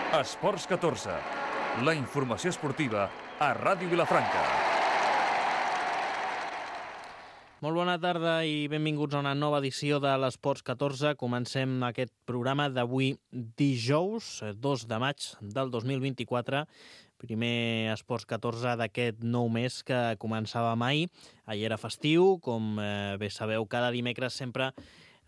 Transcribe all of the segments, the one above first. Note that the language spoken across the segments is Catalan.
Esports 14, la informació esportiva a Ràdio Vilafranca. Molt bona tarda i benvinguts a una nova edició de l'Esports 14. Comencem aquest programa d'avui dijous, 2 de maig del 2024. Primer Esports 14 d'aquest nou mes que començava ahir. Ahir era festiu, com bé sabeu, cada dimecres sempre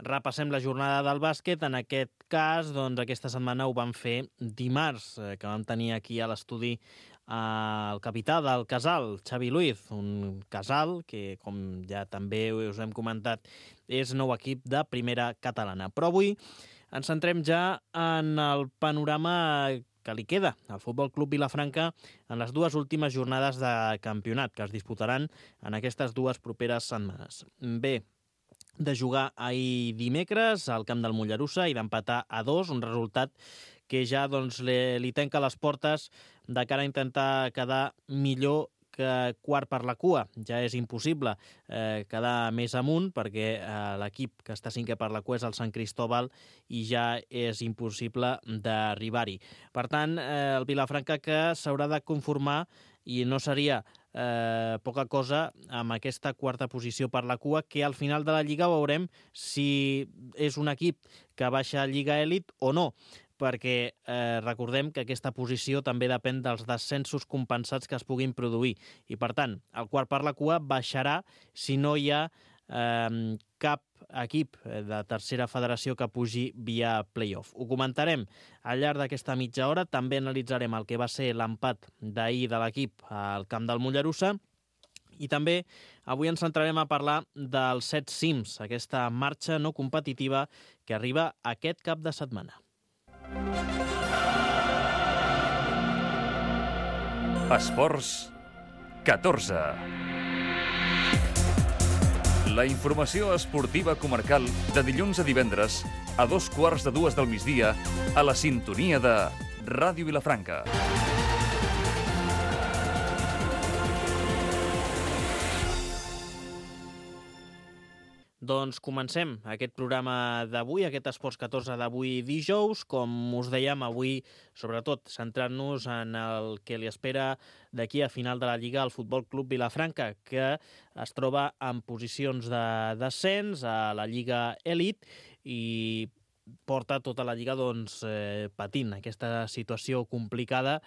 repassem la jornada del bàsquet. En aquest cas, doncs, aquesta setmana ho vam fer dimarts, que vam tenir aquí a l'estudi el capità del Casal, Xavi Luiz, un Casal que, com ja també us hem comentat, és nou equip de primera catalana. Però avui ens centrem ja en el panorama que li queda al Futbol Club Vilafranca en les dues últimes jornades de campionat que es disputaran en aquestes dues properes setmanes. Bé, de jugar ahir dimecres al camp del Mollerussa i d'empatar a 2, un resultat que ja doncs, li tanca les portes de cara a intentar quedar millor que quart per la cua. Ja és impossible quedar més amunt perquè l'equip que està cinquè per la cua és el Sant Cristóbal i ja és impossible d'arribar-hi. Per tant, el Vilafranca que s'haurà de conformar i no seria poca cosa amb aquesta quarta posició per la cua, que al final de la Lliga veurem si és un equip que baixa a Lliga Elit o no, perquè recordem que aquesta posició també depèn dels descensos compensats que es puguin produir. I, per tant, el quart per la cua baixarà si no hi ha cap equip de tercera federació que pugi via play-off. Ho comentarem al llarg d'aquesta mitja hora. També analitzarem el que va ser l'empat d'ahir de l'equip al camp del Mollerussa. I també avui ens centrarem a parlar dels 7 cims, aquesta marxa no competitiva que arriba aquest cap de setmana. Esports 14. La informació esportiva comarcal de dilluns a divendres a 2:15 del migdia a la sintonia de Ràdio Vilafranca. Doncs comencem aquest programa d'avui, aquest Esports 14 d'avui dijous. Com us dèiem, avui, sobretot, centrant-nos en el que li espera d'aquí a final de la Lliga al Futbol Club Vilafranca, que es troba en posicions de descens a la Lliga Elit i porta tota la Lliga patint aquesta situació complicada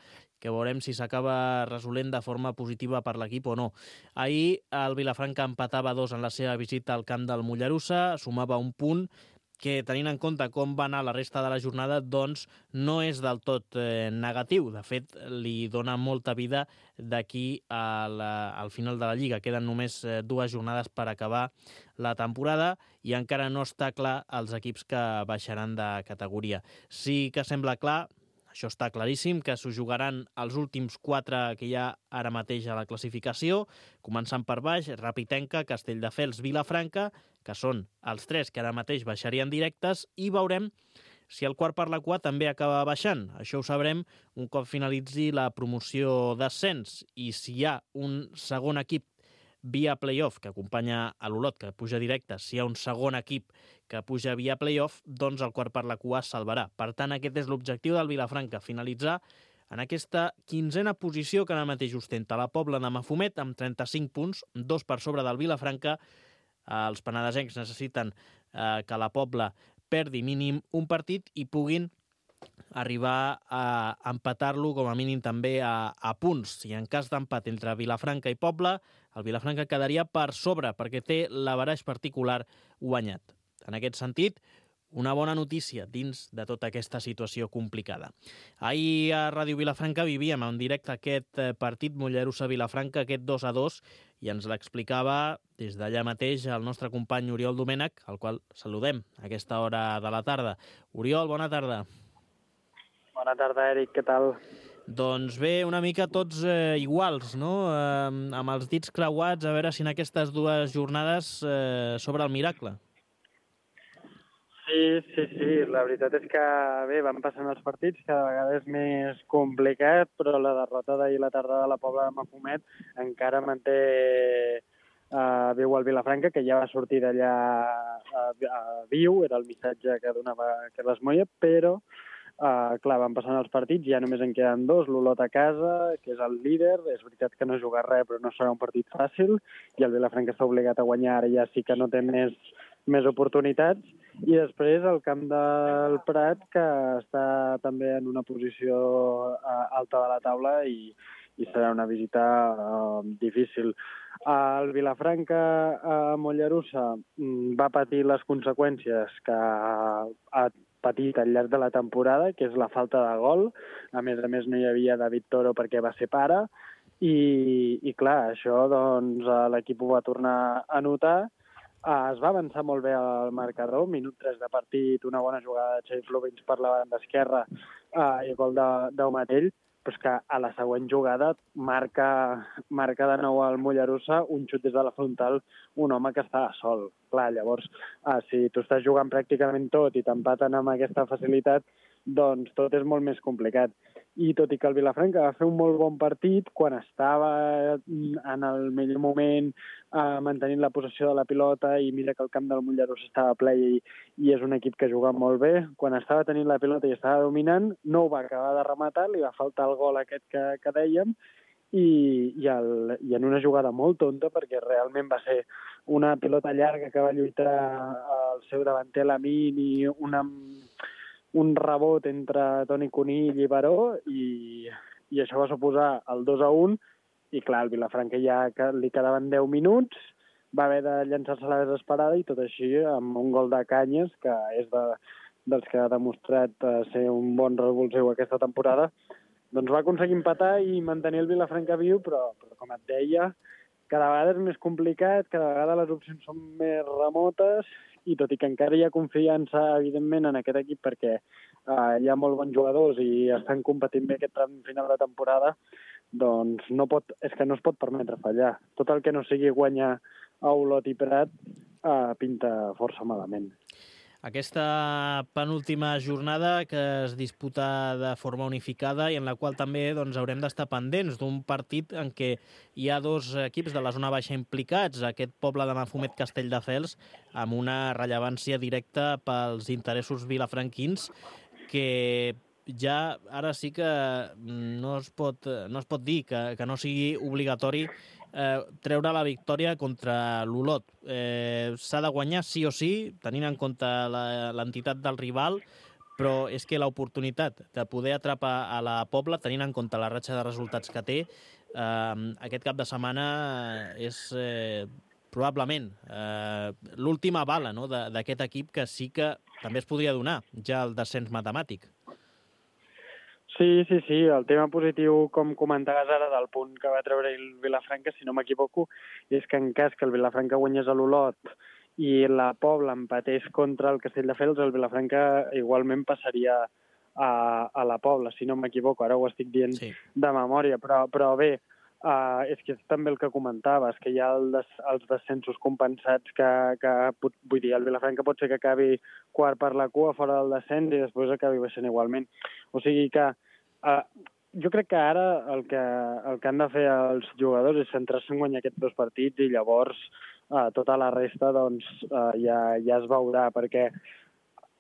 que veurem si s'acaba resolent de forma positiva per l'equip o no. Ahir el Vilafranca empatava 2 en la seva visita al camp del Mollerussa, sumava un punt que, tenint en compte com va anar la resta de la jornada, doncs no és del tot negatiu. De fet, li dona molta vida d'aquí al final de la Lliga. Queden només 2 jornades per acabar la temporada i encara no està clar els equips que baixaran de categoria. Sí que sembla clar, això està claríssim, que s'ho jugaran els últims 4 que hi ha ara mateix a la classificació, començant per baix, Rapitenca, Castelldefels, Vilafranca, que són els 3 que ara mateix baixarien directes, i veurem si el quart per la cua també acaba baixant. Això ho sabrem un cop finalitzi la promoció d'ascens, i si hi ha un segon equip via play-off que acompanya a l'Olot, que puja directe, si hi ha un segon equip que puja via play-off, doncs el quart per la cua es salvarà. Per tant, aquest és l'objectiu del Vilafranca, finalitzar en aquesta 15a posició que ara mateix ostenta la Pobla de Mafumet amb 35 punts, 2 per sobre del Vilafranca. Els penedesencs necessiten que la Pobla perdi mínim un partit i puguin arribar a empatar-lo com a mínim també a punts. I en cas d'empat entre Vilafranca i Pobla, el Vilafranca quedaria per sobre perquè té l'averaix particular guanyat. En aquest sentit, una bona notícia dins de tota aquesta situació complicada. Ahir a Ràdio Vilafranca vivíem en directe aquest partit Mollerussa-Vilafranca, aquest 2-2, i ens l'explicava des d'allà mateix el nostre company Oriol Domènech, al qual saludem a aquesta hora de la tarda. Oriol, bona tarda. Bona tarda, Eric, què tal? Doncs bé, una mica tots iguals, no? Amb els dits creuats, a veure si en aquestes dues jornades s'obre el miracle. Sí, la veritat és que bé, van passant els partits, cada vegada és més complicat, però la derrota d'ahir a la tarda de la Pobla de Mafumet encara manté viu al Vilafranca, que ja va sortir d'allà viu, era el missatge que donava Carles Moya, però Clar, van passant els partits, ja només en queden 2, l'Olot a casa, que és el líder, és veritat que no juga res, però no serà un partit fàcil, i el Vilafranca està obligat a guanyar, ara ja sí que no té més oportunitats, i després el camp del Prat, que està també en una posició alta de la taula i serà una visita difícil. El Vilafranca a Mollerussa va patir les conseqüències que ha patit al llarg de la temporada, que és la falta de gol. A més no hi havia David Toro perquè va ser pare, i clar, això doncs l'equip ho va tornar a notar. Es va avançar molt bé al marcador, minut 3 de partit, una bona jugada de Xavi Florins per la banda esquerra i gol d'Aumatell, però és que a la següent jugada marca de nou al Mollerussa un xut des de la frontal, un home que estava sol. Clar, llavors, si tu estàs jugant pràcticament tot i t'empaten amb aquesta facilitat, doncs tot és molt més complicat. I tot i que el Vilafranca va fer un molt bon partit, quan estava en el millor moment mantenint la possessió de la pilota, i mira que el camp del Mollerussa estava ple i és un equip que juga molt bé, quan estava tenint la pilota i estava dominant, no ho va acabar de rematar, li va faltar el gol aquest que dèiem, i en una jugada molt tonta, perquè realment va ser una pilota llarga que va lluitar el seu davanter Lamin i un rebot entre Toni Conill i Baró, i això va suposar el 2-1, i clar, el Vilafranca ja li quedaven 10 minuts, va haver de llançar-se a la desesperada, i tot així amb un gol de Canyes, que és dels que ha demostrat ser un bon revulsiu aquesta temporada, doncs va aconseguir empatar i mantenir el Vilafranca viu, però com et deia, cada vegada és més complicat, cada vegada les opcions són més remotes, i tot i que encara hi ha confiança, evidentment, en aquest equip, perquè hi ha molt bons jugadors i estan competint bé aquest tram final de temporada, doncs és que no es pot permetre fallar. Tot el que no sigui guanyar a Olot i Prat pinta força malament. Aquesta penúltima jornada que es disputa de forma unificada i en la qual també haurem d'estar pendents d'un partit en què hi ha dos equips de la zona baixa implicats, aquest Poble de Mafumet Castelldefels, amb una rellevància directa pels interessos vilafranquins, que ja ara sí que no es pot dir que no sigui obligatori treure la victòria contra l'Olot. S'ha de guanyar sí o sí, tenint en compte l'entitat del rival, però és que l'oportunitat de poder atrapar a la Pobla, tenint en compte la ratxa de resultats que té, aquest cap de setmana és probablement l'última bala, no?, d'aquest equip, que sí que també es podria donar ja el descens matemàtic. Sí. El tema positiu, com comentaves ara, del punt que va treure el Vilafranca, si no m'equivoco, és que en cas que el Vilafranca guanyés a l'Olot i la Pobla empatés contra el Castelldefels, el Vilafranca igualment passaria a la Pobla, si no m'equivoco. Ara ho estic dient de memòria, però bé, és que és també el que comentaves, que hi ha els descensos compensats vull dir, el Vilafranca pot ser que acabi quart per la cua fora del descens i després acabi baixant igualment. O sigui que jo crec que ara el que han de fer els jugadors és centrar-se en guanyar aquests dos partits, i llavors tota la resta doncs ja es veurà, perquè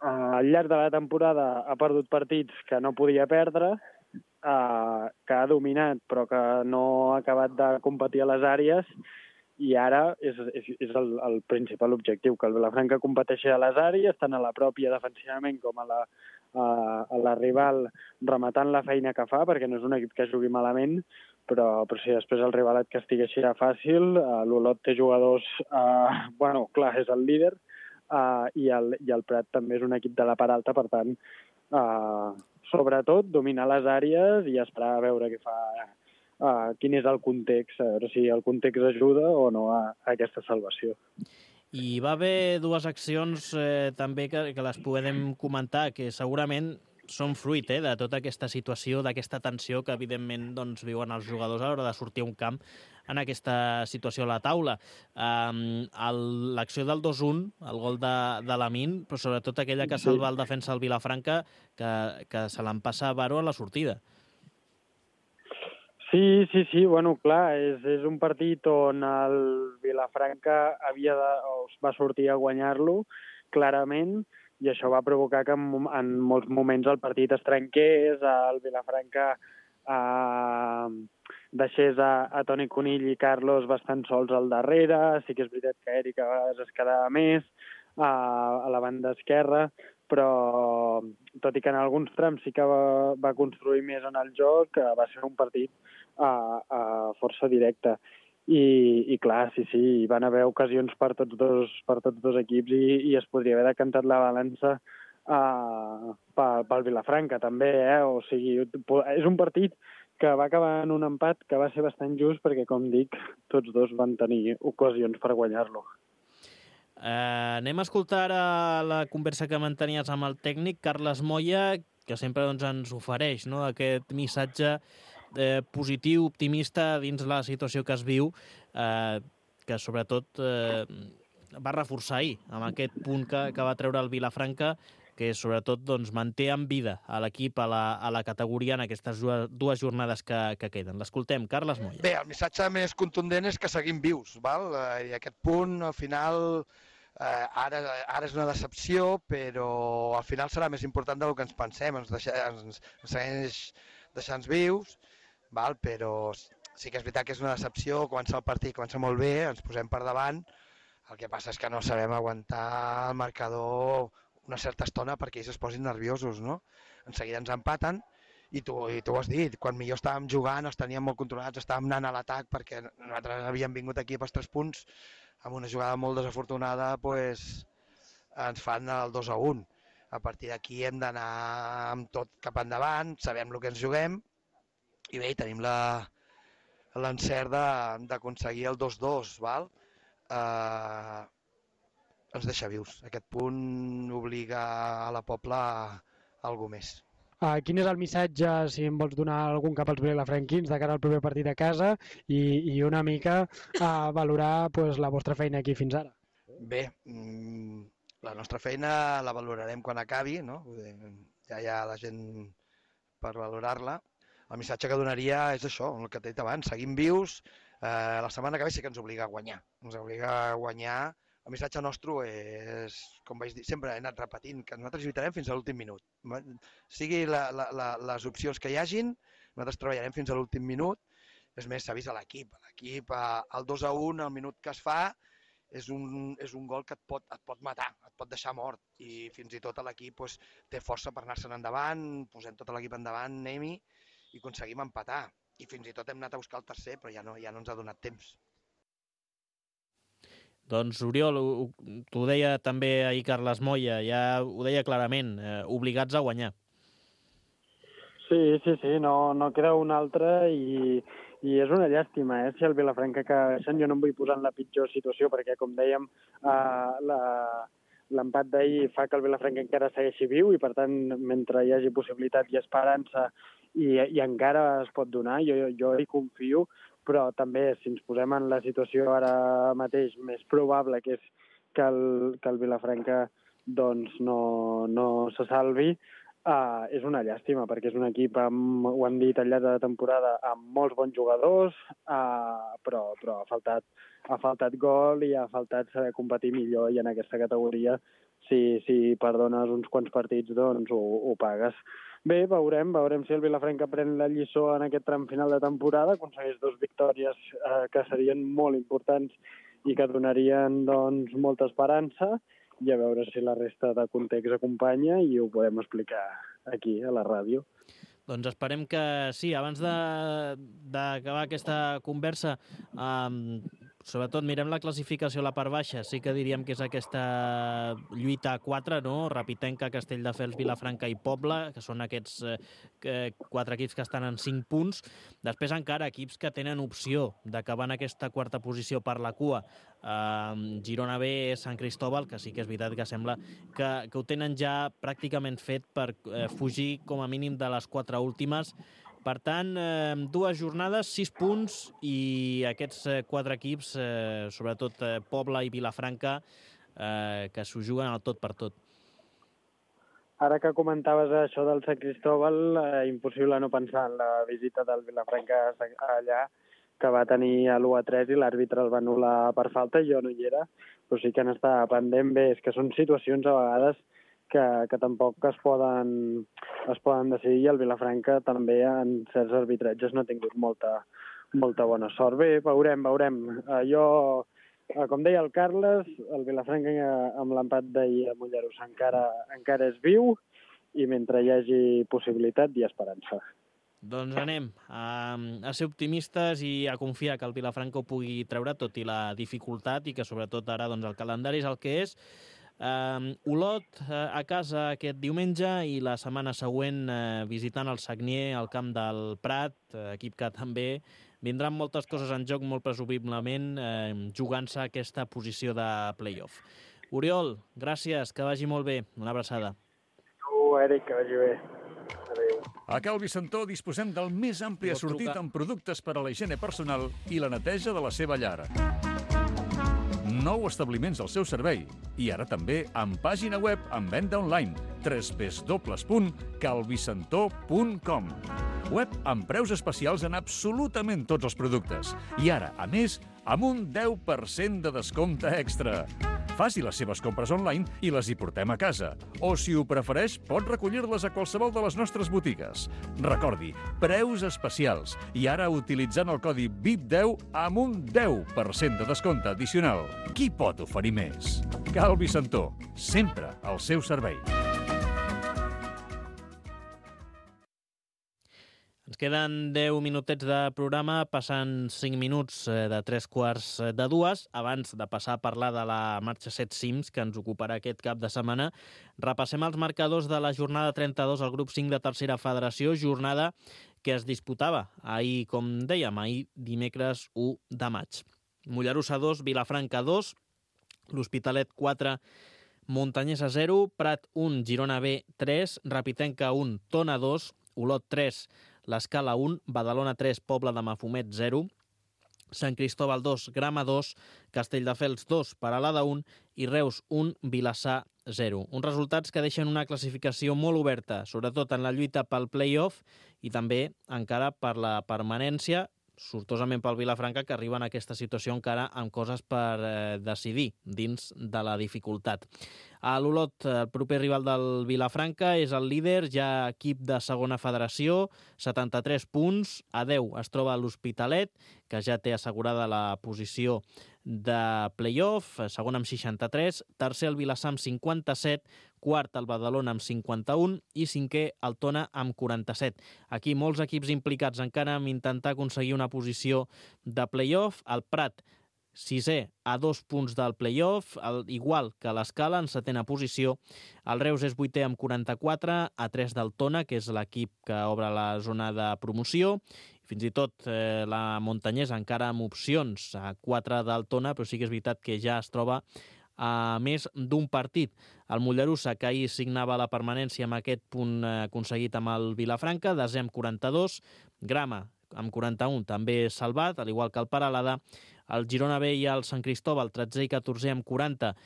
al llarg de la temporada ha perdut partits que no podia perdre, que ha dominat però que no ha acabat de competir a les àrees, i ara és el principal objectiu, que el Vilafranca competeixi a les àrees, tant a la pròpia defensivament com a la rival, rematant la feina que fa, perquè no és un equip que jugui malament, però si després el rival et castigueixi fàcil, l'Olot té jugadors, clar, és el líder, i el Prat també és un equip de la part alta, per tant, sobretot dominar les àrees i esperar a veure què fa, quin és el context, a veure si el context ajuda o no a aquesta salvació. I va haver dues accions també que les podem comentar, que segurament són fruit de tota aquesta situació, d'aquesta tensió que evidentment viuen els jugadors a l'hora de sortir a un camp en aquesta situació a la taula. L'acció del 2-1, el gol de Lamin, però sobretot aquella que salva el defensa del Vilafranca, que se l'empassa a Baró a la sortida. Sí, bueno, clar, és un partit on el Vilafranca va sortir a guanyar-lo, clarament, i això va provocar que en molts moments el partit es trenqués, el Vilafranca deixés a Toni Conill i Carlos bastant sols al darrere. Sí que és veritat que Eric a vegades es quedava més a la banda esquerra, però tot i que en alguns trams sí que va construir més en el joc, va ser un partit força directe. I clar, sí, hi van haver ocasions per tots dos equips i es podria haver decantat la balança pel Vilafranca també, o sigui, és un partit que va acabar en un empat que va ser bastant just perquè, com dic, tots dos van tenir ocasions per guanyar-lo. Anem a escoltar la conversa que mantenies amb el tècnic Carles Moya, que sempre ens ofereix aquest missatge positiu, optimista dins la situació que es viu, que sobretot va reforçar ahir amb aquest punt que va treure el Vilafranca, que sobretot manté en vida a l'equip a la categoria en aquestes dues jornades que queden. L'escoltem, Carles Moya. Bé, el missatge més contundent és que seguim vius, val? I aquest punt, al final, ara és una decepció, però al final serà més important del que ens pensem, ens segueix deixant vius, val? Però sí que és veritat que és una decepció, comença el partit, comença molt bé, ens posem per davant, el que passa és que no sabem aguantar el marcador una certa estona perquè ells es posin nerviosos, no? En seguida ens empaten, i tu ho has dit, quan millor estàvem jugant, els teníem molt controlats, estàvem anant a l'atac perquè nosaltres havíem vingut aquí pels 3 punts, amb una jugada molt desafortunada, doncs ens fan el 2-1. A partir d'aquí hem d'anar amb tot cap endavant, sabem el que ens juguem, i bé, tenim l'encert d'aconseguir el 2-2, val? Ens deixa vius. Aquest punt obliga a la Pobla a alguna més. Quin és el missatge, si em vols donar algun cap als vilafranquins de cara al proper partit a casa i una mica valorar la vostra feina aquí fins ara? Bé, la nostra feina la valorarem quan acabi, no? Ja hi ha la gent per valorar-la. El missatge que donaria és això, el que t'he dit abans, seguim vius, la setmana que ve sí que ens obliga a guanyar. Ens obliga a guanyar. El missatge nostre és, com vaig dir, sempre he anat repetint, que nosaltres lluitarem fins a l'últim minut. Sigui les opcions que hi hagin, nosaltres treballarem fins a l'últim minut. És més, s'ha vist a l'equip. L'equip, el 2-1, al minut que es fa, és un gol que et pot matar, et pot deixar mort. I fins i tot l'equip té força per anar-se'n endavant, posem tot l'equip endavant, anem-hi, i aconseguim empatar. I fins i tot hem anat a buscar el tercer, però ja no ens ha donat temps. Doncs, Oriol, t'ho deia també ahir Carles Moya, ja ho deia clarament, obligats a guanyar. Sí, no queda un altre i és una llàstima, si el Vilafranca que baixen. Jo no em vull posar en la pitjor situació perquè, com dèiem, l'empat d'ahir fa que el Vilafranca encara segueixi viu i, per tant, mentre hi hagi possibilitat i esperança i encara es pot donar, jo hi confio, però també, si ens posem en la situació ara mateix més probable, que és que el Vilafranca no se salvi, és una llàstima, perquè és un equip, ho hem dit al llarg de la temporada, amb molts bons jugadors, però ha faltat gol i ha faltat saber competir millor, i en aquesta categoria, si perdones uns quants partits, doncs ho pagues. Bé, veurem si el Vilafranca pren la lliçó en aquest tram final de temporada, aconsegueix 2 victòries que serien molt importants i que donarien molta esperança, i a veure si la resta de context acompanya i ho podem explicar aquí, a la ràdio. Doncs esperem que sí. Abans d'acabar aquesta conversa, sobretot mirem la classificació a la part baixa. Sí que diríem que és aquesta lluita a 4, no? Rapitenca, Castelldefels, Vilafranca i Pobla, que són aquests 4 equips que estan en 5 punts. Després encara equips que tenen opció d'acabar en aquesta 4a posició per la cua. Girona B, Sant Cristóbal, que sí que és veritat que sembla que ho tenen ja pràcticament fet per fugir com a mínim de les 4 últimes. Per tant, 2 jornades, 6 punts, i aquests 4 equips, sobretot Pobla i Vilafranca, que s'ho juguen al tot per tot. Ara que comentaves això del Sant Cristóbal, impossible no pensar en la visita del Vilafranca allà, que va tenir l'1-3 i l'àrbitre el va anul·lar per falta, jo no hi era, però sí que han estat pendent. Bé, és que són situacions a vegades que tampoc es poden decidir, i el Vilafranca també en certs arbitratges no ha tingut molta bona sort. Bé, veurem. Com deia el Carles, el Vilafranca amb l'empat d'ahir a Mollerussa encara és viu, i mentre hi hagi possibilitat hi ha esperança. Doncs anem a ser optimistes i a confiar que el Vilafranca ho pugui treure, tot i la dificultat, i que sobretot ara doncs, el calendari és el que és. Olot a casa aquest diumenge i la setmana següent visitant el Sagnier al camp del Prat, equip que també vindran moltes coses en joc, molt presumiblement jugant-se aquesta posició de play-off. Oriol, gràcies, que vagi molt bé. Una abraçada. Eric, que vagi bé. Adéu. A Cal Vicentó disposem del més ampli assortit en productes per a la higiene personal i la neteja de la seva llar. 9 establiments al seu servei i ara també amb pàgina web amb venda online www.calvicentó.com. Web amb preus especials en absolutament tots els productes i ara, a més, amb un 10% de descompte extra. Faci les seves compres online i les hi portem a casa. O, si ho prefereix, pot recollir-les a qualsevol de les nostres botigues. Recordi, preus especials. I ara utilitzant el codi VIP10 amb un 10% de descompte addicional. Qui pot oferir més? Cal Vicentó, sempre al seu servei. Ens queden 10 minutets de programa, passant 5 minuts de 3:15. Abans de passar a parlar de la marxa 7 cims, que ens ocuparà aquest cap de setmana, repassem els marcadors de la jornada 32 al grup 5 de tercera federació, jornada que es disputava ahir, com dèiem, ahir dimecres 1 de maig. Mollerussa 2, Vilafranca 2, l'Hospitalet 4, Montanyesa 0, Prat 1, Girona B 3, Rapitenca 1, Tona 2, Olot 3, l'Escala 1, Badalona 3, Pobla de Mafumet 0, Sant Cristóbal 2, Grama 2, Castelldefels 2, Peralada 1 i Reus 1, Vilassar 0. Uns resultats que deixen una classificació molt oberta, sobretot en la lluita pel play-off i també encara per la permanència, sortosament pel Vilafranca, que arriba en aquesta situació encara amb coses per decidir dins de la dificultat. A l'Olot, el proper rival del Vilafranca, és el líder, ja equip de segona federació, 73 punts, a 10 es troba l'Hospitalet, que ja té assegurada la posició de play-off, segon amb 63, tercer el Vilassar amb 57, quart el Badalona amb 51 i cinquè el Tona amb 47. Aquí molts equips implicats encara en intentar aconseguir una posició de play-off. El Prat, sisè, a 2 punts del play-off, igual que l'Escala, en setena posició. El Reus és 8è amb 44, a 3 del Tona, que és l'equip que obre la zona de promoció. Fins i tot la Montanyesa encara amb opcions, a 4 del Tona, però sí que és veritat que ja es troba a més d'un partit. El Mollerussa, que ahir signava la permanència amb aquest punt aconseguit amb el Vilafranca, desè amb 42, Grama amb 41 també salvat, al igual que el Peralada. El Girona B i el Sant Cristóbal, 13è i 14è amb 40,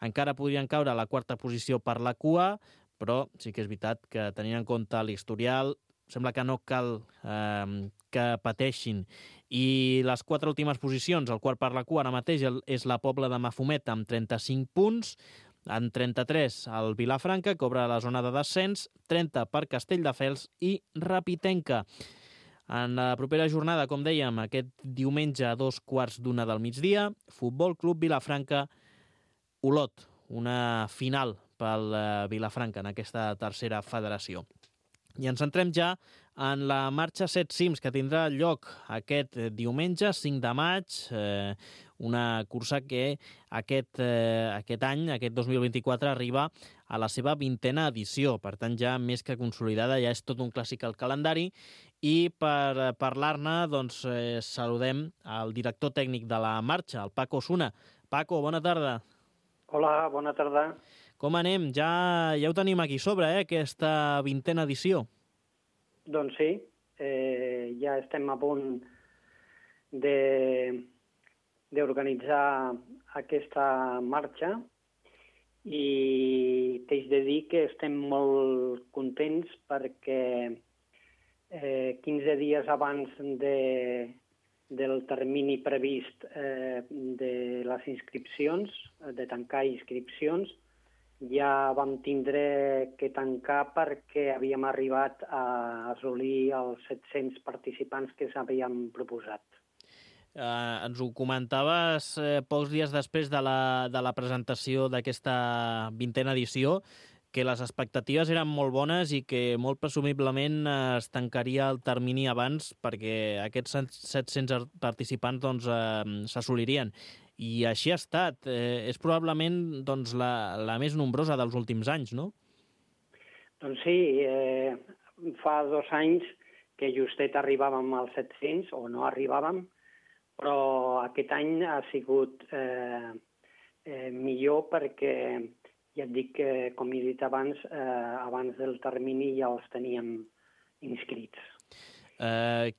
encara podrien caure a la quarta posició per la cua, però sí que és veritat que tenint en compte l'historial, sembla que no cal que pateixin. I les 4 últimes posicions, el quart per la cua ara mateix és la Pobla de Mafumet amb 35 punts, en 33 el Vilafranca, que obre la zona de descens, 30 per Castelldefels i Rapitenca. En la propera jornada, com dèiem, aquest diumenge a 2:15 del migdia, Futbol Club Vilafranca, Olot, una final pel Vilafranca en aquesta tercera federació. I ens centrem ja en la marxa 7 cims, que tindrà lloc aquest diumenge, 5 de maig, una cursa que aquest any, aquest 2024, arriba a la seva 20a edició. Per tant, ja més que consolidada, ja és tot un clàssic al calendari. I per parlar-ne, doncs, saludem el director tècnic de la marxa, el Paco Osuna. Paco, bona tarda. Hola, bona tarda. Com anem? Ja ho tenim aquí sobre, aquesta 20a edició. Doncs sí, ja estem a punt d'organitzar aquesta marxa i t'haig de dir que estem molt contents perquè 15 dies abans del termini previst de les inscripcions, de tancar inscripcions. Ja vam tindre que tancar perquè havíem arribat a assolir els 700 participants que s'havíem proposat. Ens ho comentaves pocs dies després de la presentació d'aquesta 20a edició, que les expectatives eren molt bones i que molt presumiblement es tancaria el termini abans perquè aquests 700 participants doncs, s'assolirien. I així ha estat. És probablement doncs, la més nombrosa dels últims anys, no? Doncs sí, fa 2 anys que justet arribàvem als 700, o no arribàvem, però aquest any ha sigut millor perquè, ja et dic, com he dit abans, abans del termini ja els teníem inscrits.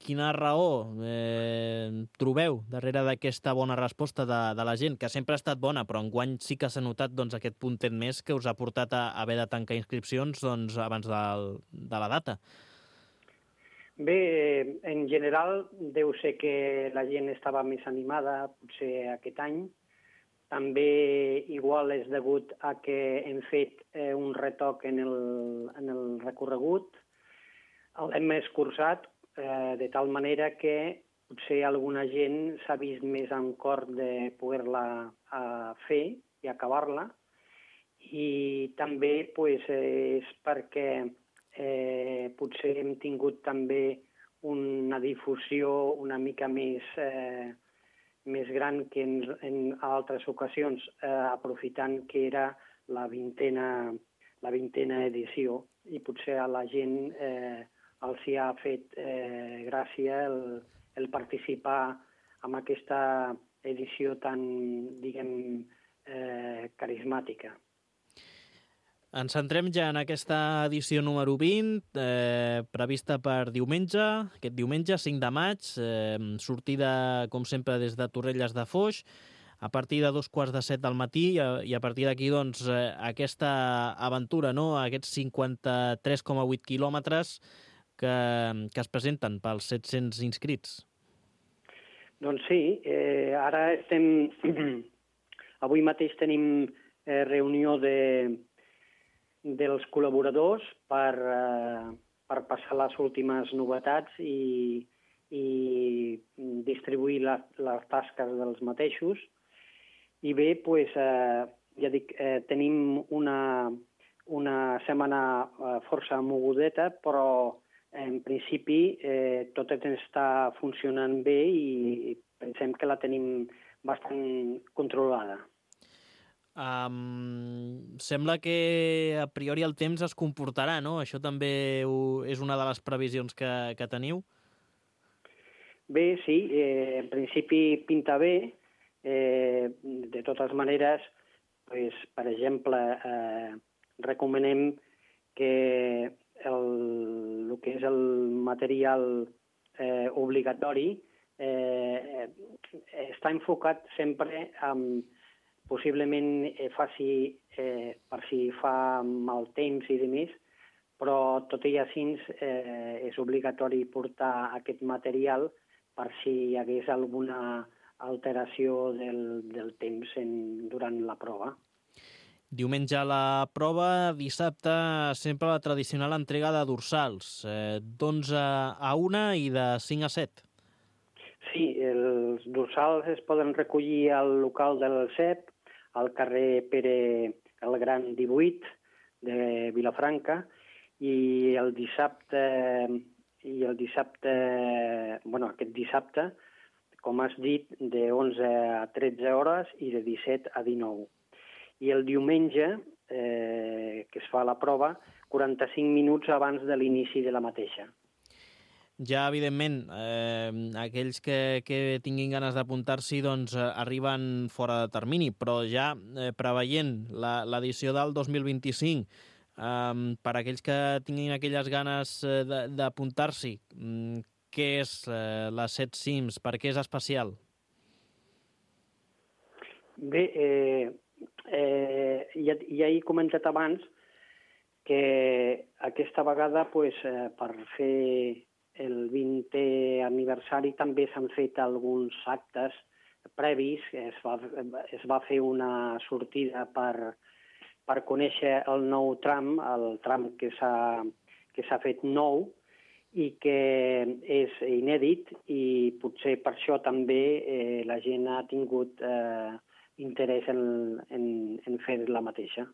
Quina raó trobeu darrere d'aquesta bona resposta de la gent, que sempre ha estat bona, però enguany sí que s'ha notat doncs, aquest puntet més que us ha portat a haver de tancar inscripcions doncs, abans de la data? Bé, en general deu ser que la gent estava més animada potser aquest any. També igual és degut a que hem fet un retoc en el recorregut. L'hem escurçat de tal manera que potser alguna gent s'ha vist més en cor de poder-la fer i acabar-la. I també és perquè potser hem tingut també una difusió una mica més gran que en altres ocasions, aprofitant que era la 20a edició, i potser a la gent els hi ha fet gràcia el participar en aquesta edició tan, diguem, carismàtica. Ens centrem ja en aquesta edició número 20, prevista per diumenge, aquest diumenge, 5 de maig, sortida, com sempre, des de Torrelles de Foix, a partir de 2:15 del matí, i a partir d'aquí, doncs, aquesta aventura, no?, aquests 53,8 quilòmetres que es presenten pels 700 inscrits. Doncs sí, ara estem... Avui mateix tenim reunió dels col·laboradors per passar les últimes novetats i distribuir les tasques dels mateixos. I bé, doncs, ja dic, tenim una setmana força mogudeta, però en principi tot està funcionant bé i pensem que la tenim bastant controlada. Sembla que a priori el temps es comportarà, no? Això també és una de les previsions que teniu? Bé, sí, en principi pinta bé. De totes maneres, per exemple, recomanem que el que és el material obligatori està enfocat sempre en possiblement faci per si fa mal temps i demés, però tot i així és obligatori portar aquest material per si hi hagués alguna alteració del temps durant la prova. Diumenge la prova, dissabte sempre la tradicional entrega de dorsals, d'11 a 1 i de 5 a 7. Sí, els dorsals es poden recollir al local del CEP, al carrer Pere el Gran 18 de Vilafranca, i el dissabte, aquest dissabte, com has dit, de 11 a 13 hores i de 17 a 19. I el diumenge, que es fa la prova, 45 minuts abans de l'inici de la mateixa. Ja, evidentment, aquells que tinguin ganes d'apuntar-s'hi doncs, arriben fora de termini, però ja preveient l'edició del 2025, per aquells que tinguin aquelles ganes d'apuntar-s'hi, què és la 7 Cims? Per què és especial? Bé, ja he comentat abans que aquesta vegada, per fer el 20è aniversari també s'han fet alguns actes previs. Es va fer una sortida per conèixer el nou tram, el tram que s'ha fet nou i que és inèdit, i potser per això també la gent ha tingut interès en fer la mateixa.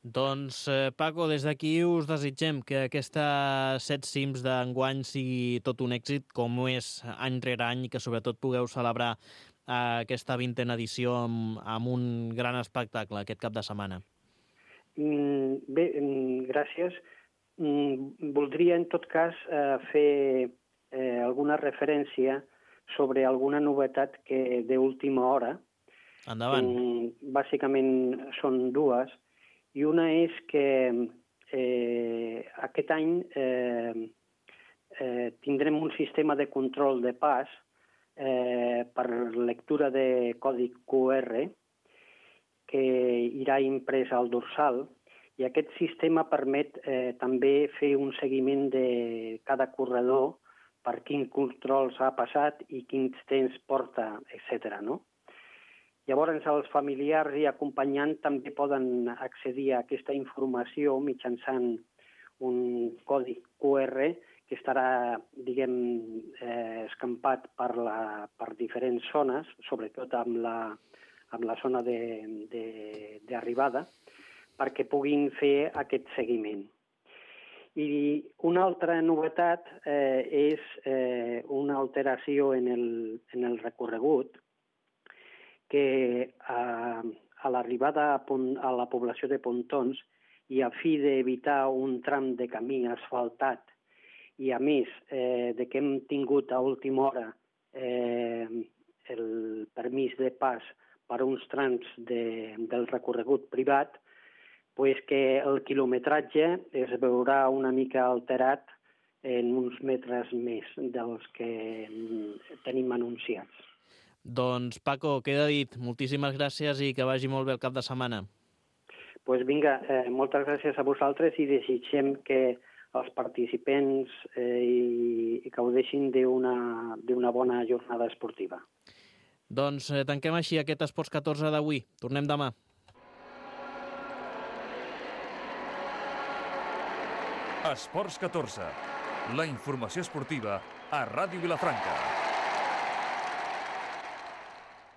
Doncs, Paco, des d'aquí us desitgem que aquesta Set Cims d'enguany sigui tot un èxit, com ho és any rere any, i que sobretot pugueu celebrar aquesta 20a edició amb un gran espectacle aquest cap de setmana. Bé, gràcies. Voldria, en tot cas, fer alguna referència sobre alguna novetat que d'última hora. Endavant. Bàsicament són dues. I una és que aquest any tindrem un sistema de control de pas per lectura de codi QR que irà imprès al dorsal, i aquest sistema permet també fer un seguiment de cada corredor, per quins controls ha passat i quins temps porta, etc. Llavors, els familiars i acompanyants també poden accedir a aquesta informació mitjançant un codi QR que estarà, escampat per diferents zones, sobretot amb la zona d'arribada, perquè puguin fer aquest seguiment. I una altra novetat és una alteració en el recorregut, que a l'arribada a la població de Pontons, i a fi d'evitar un tram de camí asfaltat, i a més de que hem tingut a última hora el permís de pas per uns trams del recorregut privat, que el quilometratge es veurà una mica alterat en uns metres més dels que tenim anunciats. Doncs, Paco, queda dit. Moltíssimes gràcies i que vagi molt bé el cap de setmana. Doncs vinga, moltes gràcies a vosaltres i desitgem que els participants gaudeixin d'una bona jornada esportiva. Doncs tanquem així aquest Esports 14 d'avui. Tornem demà. Esports 14, la informació esportiva a Ràdio Vilafranca.